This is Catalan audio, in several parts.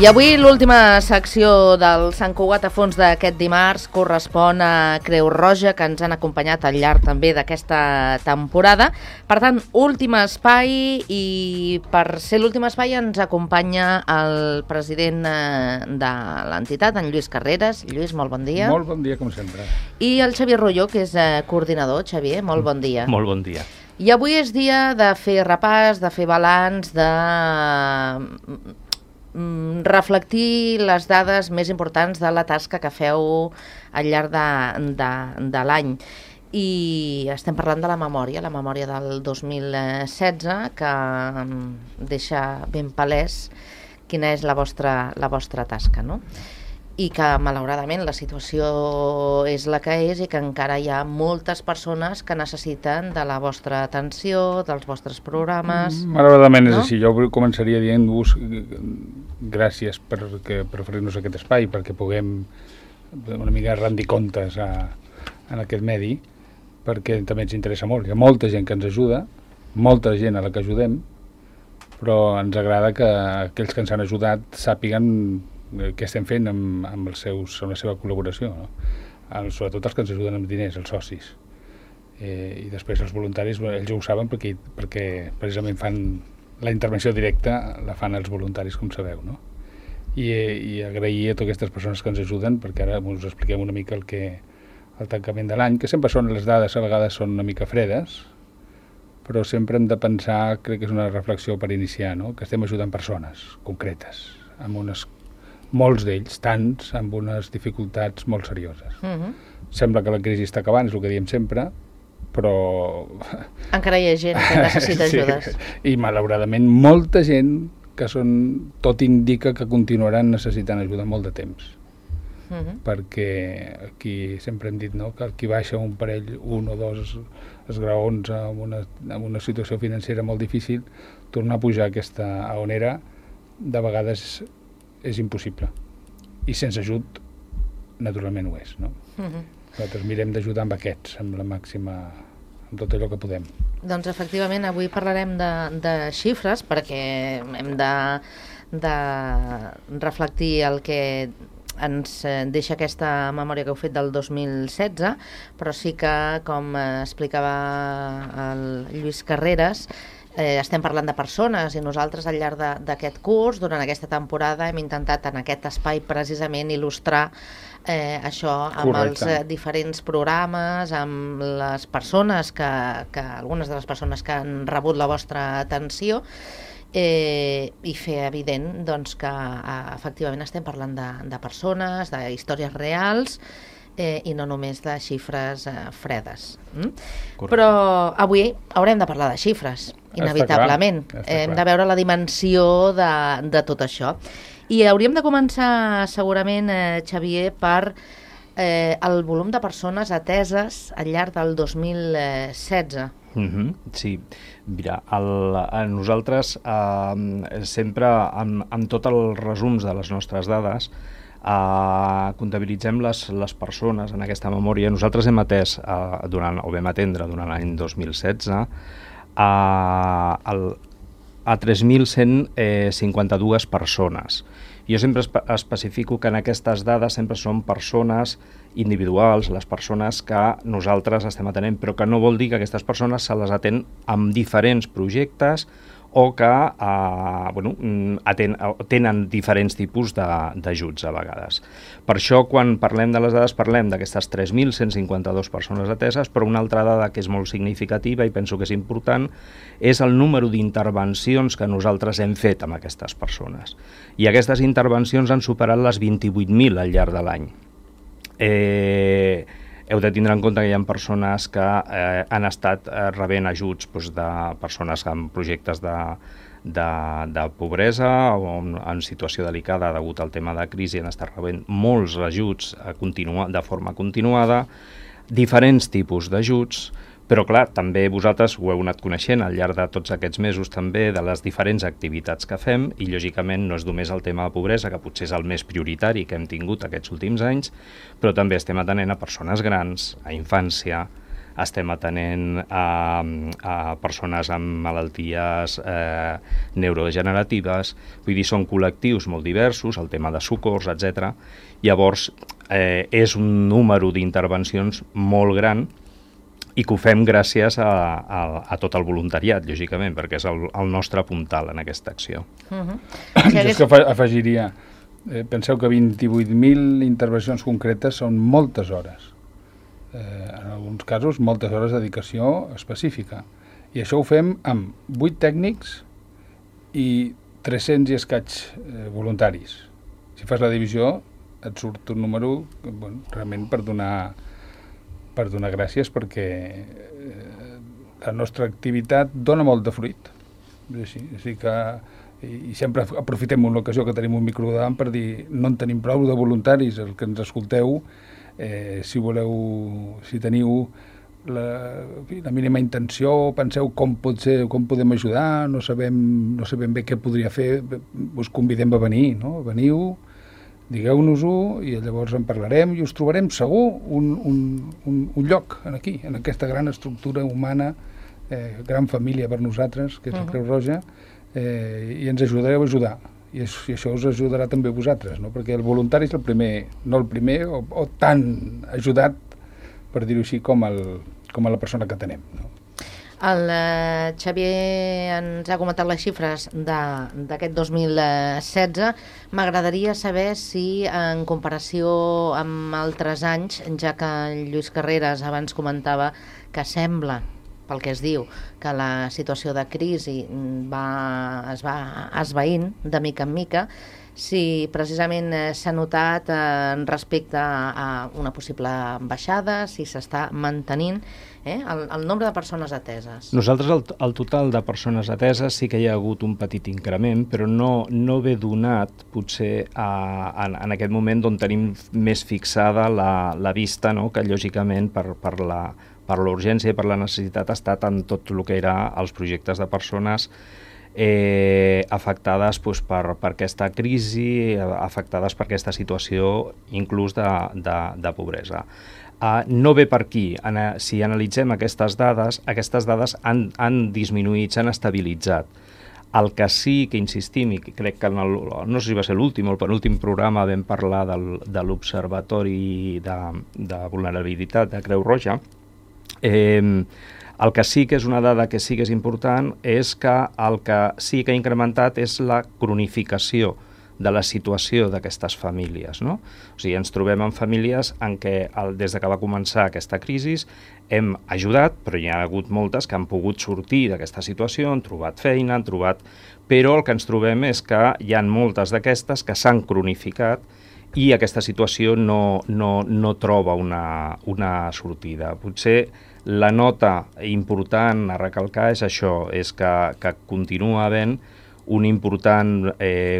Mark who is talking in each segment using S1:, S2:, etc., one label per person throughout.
S1: I avui l'última secció del Sant Cugat a fons d'aquest dimarts correspon a Creu Roja, que ens han acompanyat al llarg també d'aquesta temporada. Per tant, últim espai, i per ser l'últim espai ens acompanya el president de l'entitat, en Lluís Carreras. Lluís, molt bon dia.
S2: Molt bon dia, com sempre.
S1: I el Xavier Rolló, que és coordinador. Xavier, molt bon dia.
S3: Molt bon dia.
S1: I avui és dia de fer repàs, de fer balanç, de reflectir les dades més importants de la tasca que feu al llarg de l'any. I estem parlant de la memòria del 2016, que deixa ben palès quina és la vostra tasca, no? I que malauradament la situació és la que és i que encara hi ha moltes persones que necessiten de la vostra atenció, dels vostres programes.
S2: Malauradament és així. Jo començaria dient-vos gràcies per oferir-nos aquest espai, perquè puguem una mica rendir comptes en aquest medi, perquè també ens interessa molt. Hi ha molta gent que ens ajuda, molta gent a la que ajudem, però ens agrada que aquells que ens han ajudat sàpiguen què estem fent amb la seva col·laboració, no? Sobretot els que ens ajuden amb diners, els socis. I després els voluntaris, ells ho saben perquè precisament fan la intervenció directa, la fan els voluntaris, com sabeu, no? I agrair a totes aquestes persones que ens ajuden, perquè ara us expliquem una mica el tancament de l'any, que sempre són les dades, a vegades són una mica fredes, però sempre hem de pensar, crec que és una reflexió per iniciar, no? Que estem ajudant persones concretes, amb molts d'ells, tants, amb unes dificultats molt serioses. Sembla que la crisi està acabant, és el que diem sempre, però
S1: encara hi ha gent que necessita ajudes.
S2: I malauradament molta gent que tot indica que continuaran necessitant ajuda molt de temps. Perquè aquí sempre hem dit, no?, que qui baixa un parell, un o dos esgraons amb una situació financera molt difícil, tornar a pujar aquesta a on era, de vegades és impossible. I sense ajut, naturalment ho és, no? Nosaltres mirem d'ajudar amb aquests, amb la màxima, amb tot allò que podem.
S1: Doncs efectivament, avui parlarem de xifres, perquè hem de reflectir el que ens deixa aquesta memòria que heu fet del 2016, però sí que, com explicava el Lluís Carreras, estem parlant de persones, i nosaltres al llarg d'aquest curs, durant aquesta temporada, hem intentat en aquest espai precisament il·lustrar això amb els diferents programes, amb les persones algunes de les persones que han rebut la vostra atenció, i fer evident, doncs, que efectivament estem parlant de persones, d'històries reals, i no només de xifres fredes. Però avui haurem de parlar de xifres, inevitablement. Hem de veure la dimensió de tot això. I hauríem de començar segurament, Xavier, per el volum de persones ateses al llarg del 2016.
S3: Sí, mira, nosaltres sempre, amb tots els resums de les nostres dades, comptabilitzem les persones en aquesta memòria. Nosaltres hem atès, vam atendre durant l'any 2016 a 3.152 persones. Jo sempre especifico que en aquestes dades sempre són persones individuals, les persones que nosaltres estem atenent, però que no vol dir que aquestes persones se les atén amb diferents projectes o que tenen diferents tipus d'ajuts a vegades. Per això, quan parlem de les dades, parlem d'aquestes 3.152 persones ateses, però una altra dada que és molt significativa i penso que és important és el número d'intervencions que nosaltres hem fet amb aquestes persones. I aquestes intervencions han superat les 28.000 al llarg de l'any. Heu de tindre en compte que hi ha persones que han estat rebent ajuts de persones amb projectes de pobresa o en situació delicada degut al tema de crisi, han estat rebent molts ajuts de forma continuada, diferents tipus d'ajuts, però clar, també vosaltres ho heu anat coneixent al llarg de tots aquests mesos també de les diferents activitats que fem, i lògicament no és només el tema de pobresa, que potser és el més prioritari que hem tingut aquests últims anys, però també estem atenent a persones grans, a infància, estem atenent a persones amb malalties neurodegeneratives, vull dir, són col·lectius molt diversos, el tema de socors, etc. Llavors, és un número d'intervencions molt gran i que ho fem gràcies a tot el voluntariat, lògicament, perquè és el nostre puntal en aquesta acció.
S2: Jo és que afegiria, penseu que 28.000 intervencions concretes són moltes hores. En alguns casos, moltes hores de dedicació específica. I això ho fem amb 8 tècnics i 300 i escaig voluntaris. Si fas la divisió, et surt un número realment per donar gràcies, perquè la nostra activitat dona molt de fruit. És així que, i sempre aprofitem una ocasió que tenim un micro davant per dir no en tenim prou de voluntaris, el que ens escolteu, si teniu la mínima intenció, penseu com podem ajudar, no sabem bé què podria fer, us convidem a venir, no? Veniu, digueu-nos-ho i llavors en parlarem i us trobarem segur un lloc aquí, en aquesta gran estructura humana, gran família per nosaltres, que és la Creu Roja, i ens ajudareu a ajudar. I això us ajudarà també a vosaltres, no? Perquè el voluntari és el primer, no el primer, o tan ajudat, per dir-ho així, com a la persona que tenem, no?
S1: El Xavier ens ha comentat les xifres d'aquest 2016. M'agradaria saber si, en comparació amb altres anys, ja que Lluís Carreras abans comentava que sembla, pel que es diu, que la situació de crisi es va esvaint de mica en mica, si precisament s'ha notat respecte a una possible baixada, si s'està mantenint el nombre de persones ateses.
S3: Nosaltres, el total de persones ateses sí que hi ha hagut un petit increment, però no ve donat, potser, en aquest moment on tenim més fixada la vista, no? Que lògicament per l'urgència i per la necessitat ha estat en tot el que era els projectes de persones afectades per aquesta crisi, afectades per aquesta situació inclús de pobresa. No ve per aquí. Si analitzem aquestes dades han disminuït, s'han estabilitzat. El que sí que insistim, i crec que no sé si va ser l'últim o el penúltim programa vam parlar de l'Observatori de Vulnerabilitat de Creu Roja, el que sí que és una dada que sí que és important és que el que sí que ha incrementat és la cronificació de la situació d'aquestes famílies, no? O sigui, ens trobem en famílies en què des que va començar aquesta crisi hem ajudat, però hi ha hagut moltes que han pogut sortir d'aquesta situació, han trobat feina, però el que ens trobem és que hi ha moltes d'aquestes que s'han cronificat i aquesta situació no troba una sortida. Potser la nota important a recalcar és això, és que continua havent un important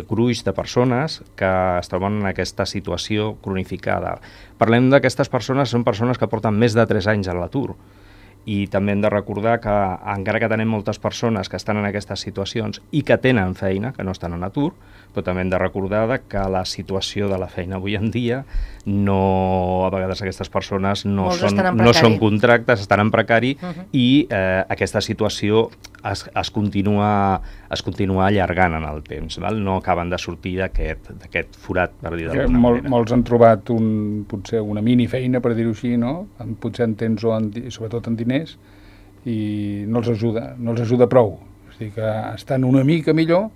S3: gruix de persones que es troben en aquesta situació cronificada. Parlem d'aquestes persones, són persones que porten més de 3 anys a l'atur. I també hem de recordar que encara que tenim moltes persones que estan en aquestes situacions i que tenen feina, que no estan en atur, però també hem de recordar que la situació de la feina avui en dia, a vegades aquestes persones no són contractes, estan en precari, i aquesta situació es continua allargant en el temps, val? No acaben de sortir d'aquest forat, per dir d'alguna manera.
S2: Molts han trobat potser una minifeina, per dir-ho així, no? Potser en temps o sobretot en diners, i no els ajuda prou. És a dir, que estan una mica millor,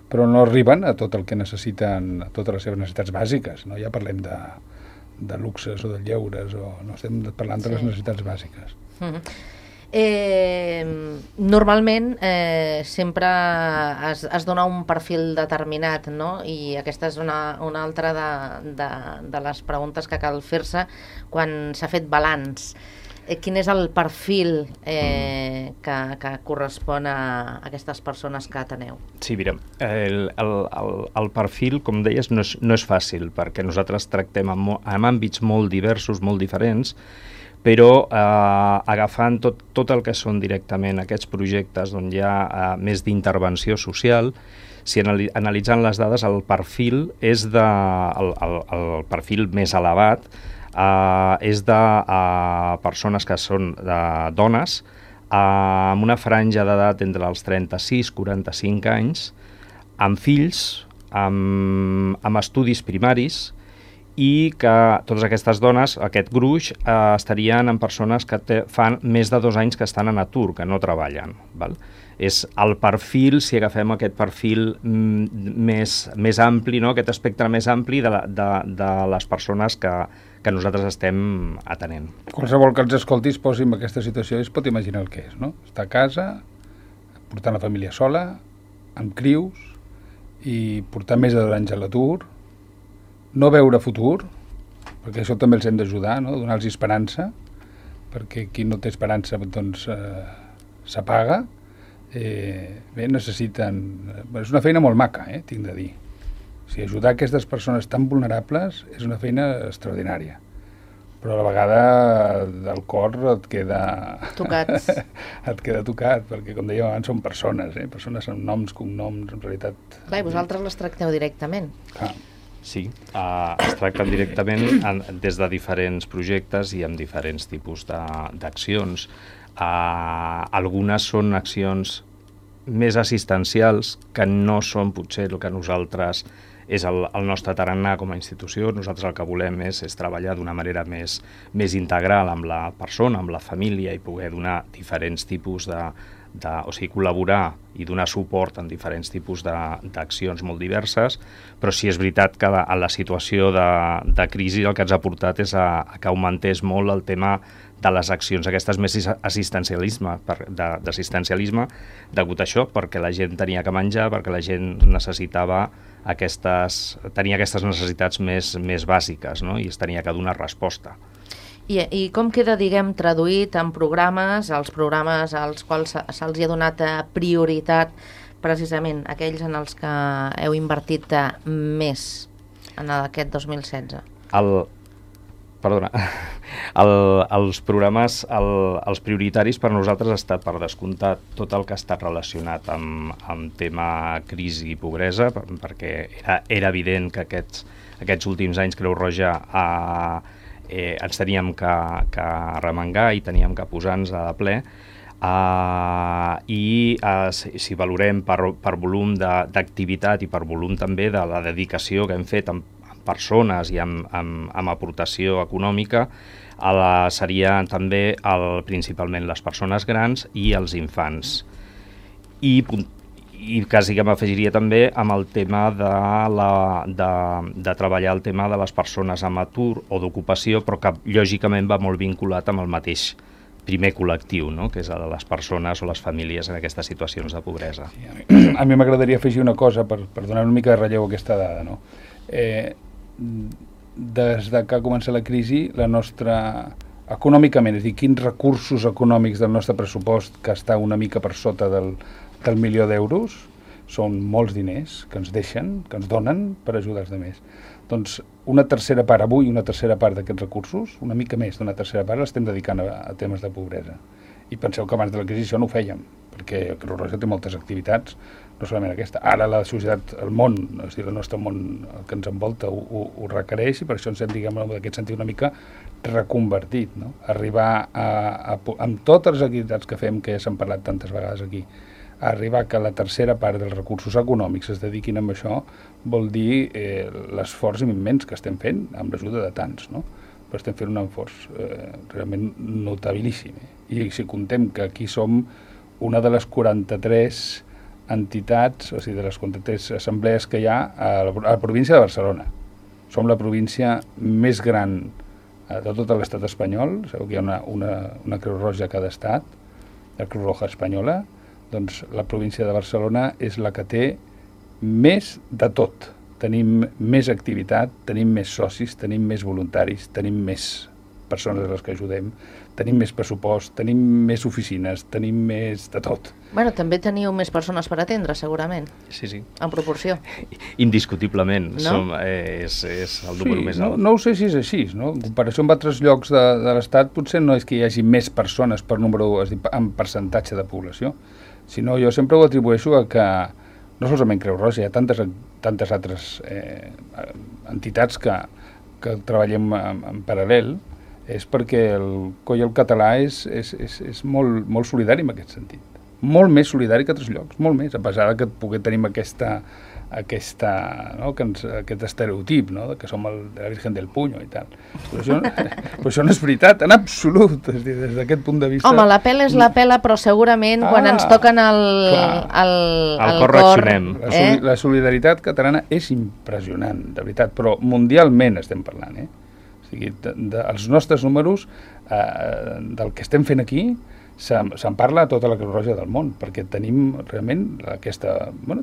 S2: però no arriben a tot el que necessiten, a totes les seves necessitats bàsiques, no? Ja parlem de luxes o de lleures, no estem parlant de les necessitats bàsiques.
S1: Normalment sempre es dona un perfil determinat, no? I aquesta és una altra de les preguntes que cal fer-se quan s'ha fet balanç. Quin és el perfil que correspon a aquestes persones que ateneu?
S3: Sí, mira, el perfil, com deies, no és fàcil, perquè nosaltres tractem en àmbits molt diversos, molt diferents, però agafant tot el que són directament aquests projectes on hi ha més d'intervenció social, si analitzant les dades, el perfil és el perfil més elevat, és de persones que són dones amb una franja d'edat entre els 36 i 45 anys, amb fills, amb estudis primaris, i que totes aquestes dones, aquest gruix, estarien en persones que fan més de 2 anys que estan en atur, que no treballen. Val? És el perfil, si agafem aquest perfil més ampli, no? Aquest espectre més ampli de les persones que nosaltres estem atenent.
S2: Qualsevol que els escolti es posi en aquesta situació i es pot imaginar el que és, no? Estar a casa, portant la família sola, amb crius, i portar més de 2 anys a l'atur, no veure futur, perquè això també els hem d'ajudar, no? Donar-los esperança, perquè qui no té esperança doncs s'apaga. Bé, necessiten... És una feina molt maca, tinc de dir. O sigui, ajudar aquestes persones tan vulnerables és una feina extraordinària. Però a la vegada el cor et queda...
S1: Tocat.
S3: Et queda tocat, perquè com dèiem abans són persones, persones amb noms, cognoms, en realitat...
S1: Clar, i vosaltres les tracteu directament.
S3: Clar. Sí, es tracten directament des de diferents projectes i amb diferents tipus d'accions. Algunes són accions més assistencials, que no són potser el que nosaltres és el nostre tarannà com a institució. Nosaltres el que volem és treballar d'una manera més integral amb la persona, amb la família, i poder donar diferents tipus o sigui, col·laborar i donar suport en diferents tipus d'accions molt diverses, però sí és veritat que a la situació de crisi el que ens ha portat és que augmentés molt el tema de les accions aquestes més d'assistencialisme degut a això, perquè la gent tenia que menjar, perquè la gent tenia aquestes necessitats més bàsiques, no? I es tenia que donar resposta.
S1: I com queda, diguem, traduït en programes, els programes als quals se'ls ha donat prioritat, precisament aquells en els que heu invertit més en aquest 2016?
S3: Els programes, els prioritaris per nosaltres ha estat, per descomptat, tot el que ha estat relacionat amb tema crisi i pobresa, perquè era evident que aquests últims anys Creu Roja ens teníem que remengar i teníem que posar-nos a ple, i si valorem per volum d'activitat i per volum també de la dedicació que hem fet amb persones i amb aportació econòmica, seria també principalment les persones grans i els infants. I quasi que m'afegiria també amb el tema de treballar el tema de les persones amb atur o d'ocupació, però que lògicament va molt vinculat amb el mateix primer col·lectiu, no? Que és el de les persones o les famílies en aquestes situacions de pobresa.
S2: Sí, a mi m'agradaria afegir una cosa per donar una mica de relleu a aquesta dada, no? Des de que ha començat la crisi, la nostra... econòmicament, és a dir, quins recursos econòmics del nostre pressupost, que està una mica per sota del milió d'euros, són molts diners que ens deixen, que ens donen per ajudar els altres. Doncs una tercera part d'aquests recursos, una mica més d'una tercera part, l'estem dedicant a temes de pobresa. I penseu que abans de la crisi això no ho fèiem, perquè Creu Roja té moltes activitats, no solament aquesta. Ara la societat, el món, és a dir, el nostre món, el que ens envolta, ho requereix, i per això ens hem, diguem, en aquest sentit una mica reconvertit, no? Arribar amb totes les activitats que fem, que ja s'han parlat tantes vegades aquí, a arribar que la tercera part dels recursos econòmics es dediquin a això, vol dir l'esforç immens que estem fent amb l'ajuda de tants, no? Però estem fent un esforç realment notabilíssim. I si contem que aquí som una de les 43 entitats, o sigui, de les 43 assemblees que hi ha a la província de Barcelona. Som la província més gran de tot l'estat espanyol. Sabeu que hi ha una Creu Roja a cada estat, la Creu Roja espanyola. Doncs la província de Barcelona és la que té més de tot. Tenim més activitat, tenim més socis, tenim més voluntaris, tenim més persones a les que ajudem, tenim més pressupost, tenim més oficines, tenim més de tot.
S1: Bueno, també teniu més persones per atendre, segurament.
S3: Sí.
S1: En proporció.
S3: Indiscutiblement.
S1: No?
S3: És el número més alt.
S2: No ho sé si és així, no? En comparació amb altres llocs de l'Estat, potser no és que hi hagi més persones per número, és a dir, en percentatge de població, sinó jo sempre ho atribueixo a que no solament Creu Roja, hi ha tantes altres entitats que que treballem en paral·lel és perquè el Coll català és molt solidari en aquest sentit. Molt més solidari que altres llocs, molt més, a pesar que tenim aquest estereotip, no? Que som la Virgen del Puño i tal. Però això no és veritat, en absolut, és dir, des d'aquest punt de vista...
S1: Home, la pela és la pela, però segurament quan ens toquen el cor...
S3: reaccionem.
S2: La solidaritat catalana és impressionant, de veritat, però mundialment estem parlant, O sigui, els nostres números del que estem fent aquí se'n parla a tota la Creu Roja del món, perquè tenim realment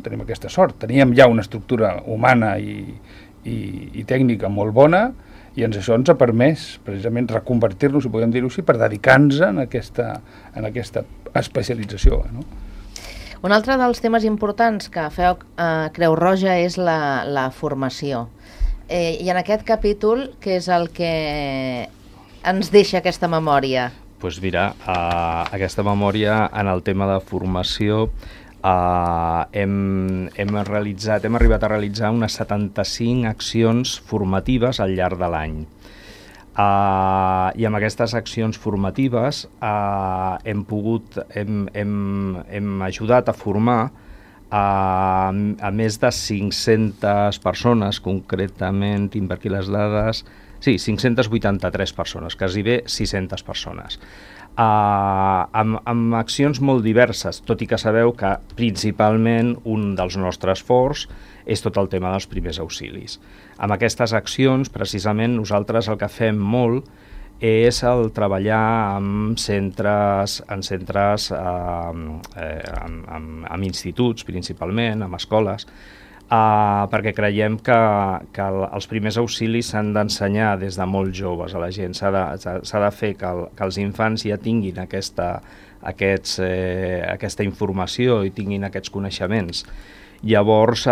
S2: tenim aquesta sort. Teníem ja una estructura humana i tècnica molt bona, i això ens ha permès precisament reconvertir-nos, si podem dir-ho així, per dedicar-nos en aquesta especialització. No?
S1: Un altre dels temes importants que feu a Creu Roja és la formació. I en aquest capítol, què és el que ens deixa aquesta memòria?
S3: Doncs mira, aquesta memòria en el tema de formació hem arribat a realitzar unes 75 accions formatives al llarg de l'any. I amb aquestes accions formatives hem ajudat a formar a més de 500 persones, concretament, tinc per aquí les dades, sí, 583 persones, quasi bé 600 persones, amb accions molt diverses, tot i que sabeu que principalment un dels nostres forts és tot el tema dels primers auxilis. Amb aquestes accions, precisament, nosaltres el que fem molt és el treballar amb instituts, principalment, amb escoles, perquè creiem que els primers auxilis s'han d'ensenyar des de molt joves a la gent. S'ha de fer que els infants ja tinguin aquesta informació i tinguin aquests coneixements. Llavors,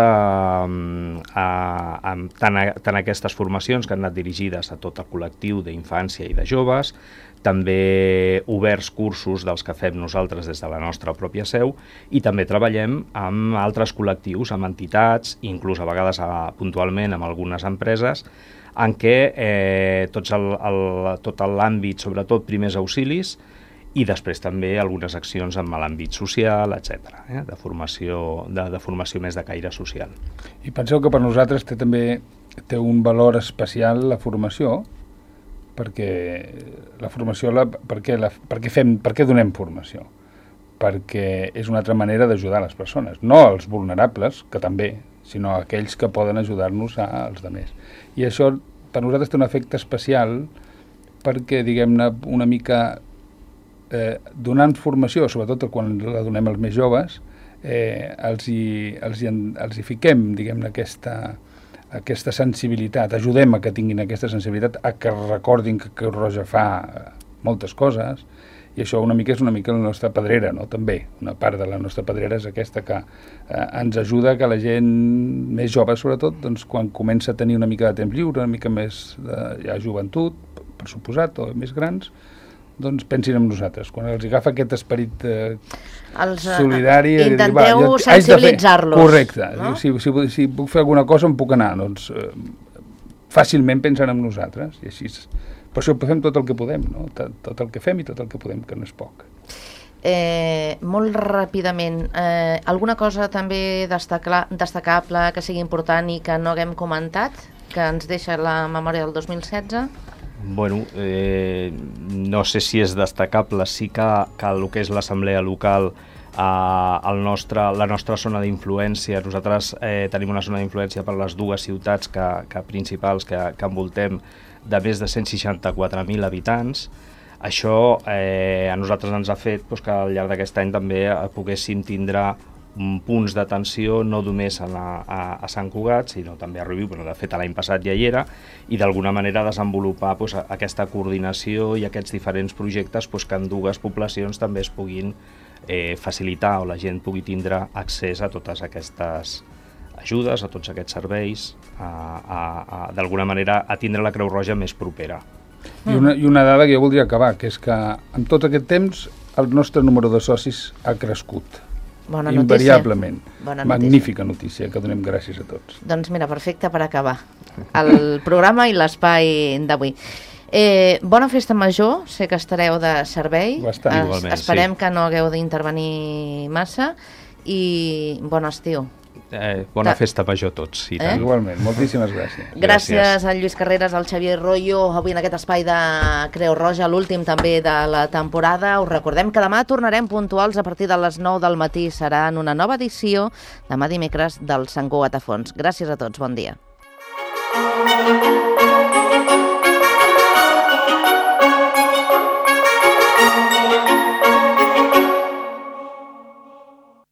S3: tant aquestes formacions que han anat dirigides a tot el col·lectiu d'infància i de joves, també oberts cursos dels que fem nosaltres des de la nostra pròpia seu, i també treballem amb altres col·lectius, amb entitats, inclús a vegades puntualment amb algunes empreses, en què tot l'àmbit, sobretot primers auxilis, i després també algunes accions en l'àmbit social, etc., de formació més de caire social.
S2: I penseu que per nosaltres també té un valor especial la formació, perquè la formació, per què donem formació? Perquè és una altra manera d'ajudar les persones, no als vulnerables, que també, sinó aquells que poden ajudar-nos als altres. I això per nosaltres té un efecte especial perquè, diguem-ne, una mica donant formació, sobretot quan la donem als més joves, els hi fiquem, diguem-ne, aquesta sensibilitat, ajudem a que tinguin aquesta sensibilitat, a que recordin que Creu Roja fa moltes coses, i això és una mica la nostra pedrera, no? També, una part de la nostra pedrera és aquesta, que ens ajuda que la gent més jove, sobretot, doncs, quan comença a tenir una mica de temps lliure, una mica més de joventut, per suposat, o més grans, doncs pensin en nosaltres. Quan els agafa aquest esperit solidari...
S1: Intenteu sensibilitzar-los.
S2: Correcte.
S1: No?
S2: Si puc fer alguna cosa em puc anar, doncs fàcilment pensen en nosaltres. I així, per això fem tot el que podem, no? Tot el que fem i tot el que podem, que no és poc.
S1: Molt ràpidament, alguna cosa també destacable que sigui important i que no haguem comentat, que ens deixa la memòria del 2016?
S3: Bueno, no sé si és destacable, sí que el que és l'assemblea local, la nostra zona d'influència, nosaltres tenim una zona d'influència per les dues ciutats principals que envoltem, de més de 164.000 habitants. Això a nosaltres ens ha fet que al llarg d'aquest any també poguéssim tindre punts d'atenció no només a Sant Cugat, sinó també a Rubí, de fet l'any passat ja hi era, i d'alguna manera desenvolupar aquesta coordinació i aquests diferents projectes que en dues poblacions també es puguin facilitar o la gent pugui tindre accés a totes aquestes ajudes, a tots aquests serveis, d'alguna manera a tindre la Creu Roja més propera.
S2: I una dada que jo voldria acabar, que és que en tot aquest temps el nostre número de socis ha crescut.
S1: Bona notícia.
S2: Invariablement.
S1: Bona
S2: Magnífica notícia, que donem gràcies a tots.
S1: Doncs mira, perfecte per acabar el programa i l'espai d'avui. Bona festa major, sé que estareu de servei.
S2: Bastant.
S3: Igualment,
S1: esperem que no hagueu d'intervenir massa i bon estiu.
S3: Bona festa major a tots. I tant.
S2: Igualment, moltíssimes gràcies.
S1: Gràcies al Lluís Carreras, al Xavier Royo, avui en aquest espai de Creu Roja, l'últim també de la temporada. Us recordem que demà tornarem puntuals a partir de les 9 del matí. Serà en una nova edició, demà dimecres, del Sant Cugat a Fons. Gràcies a tots, bon dia.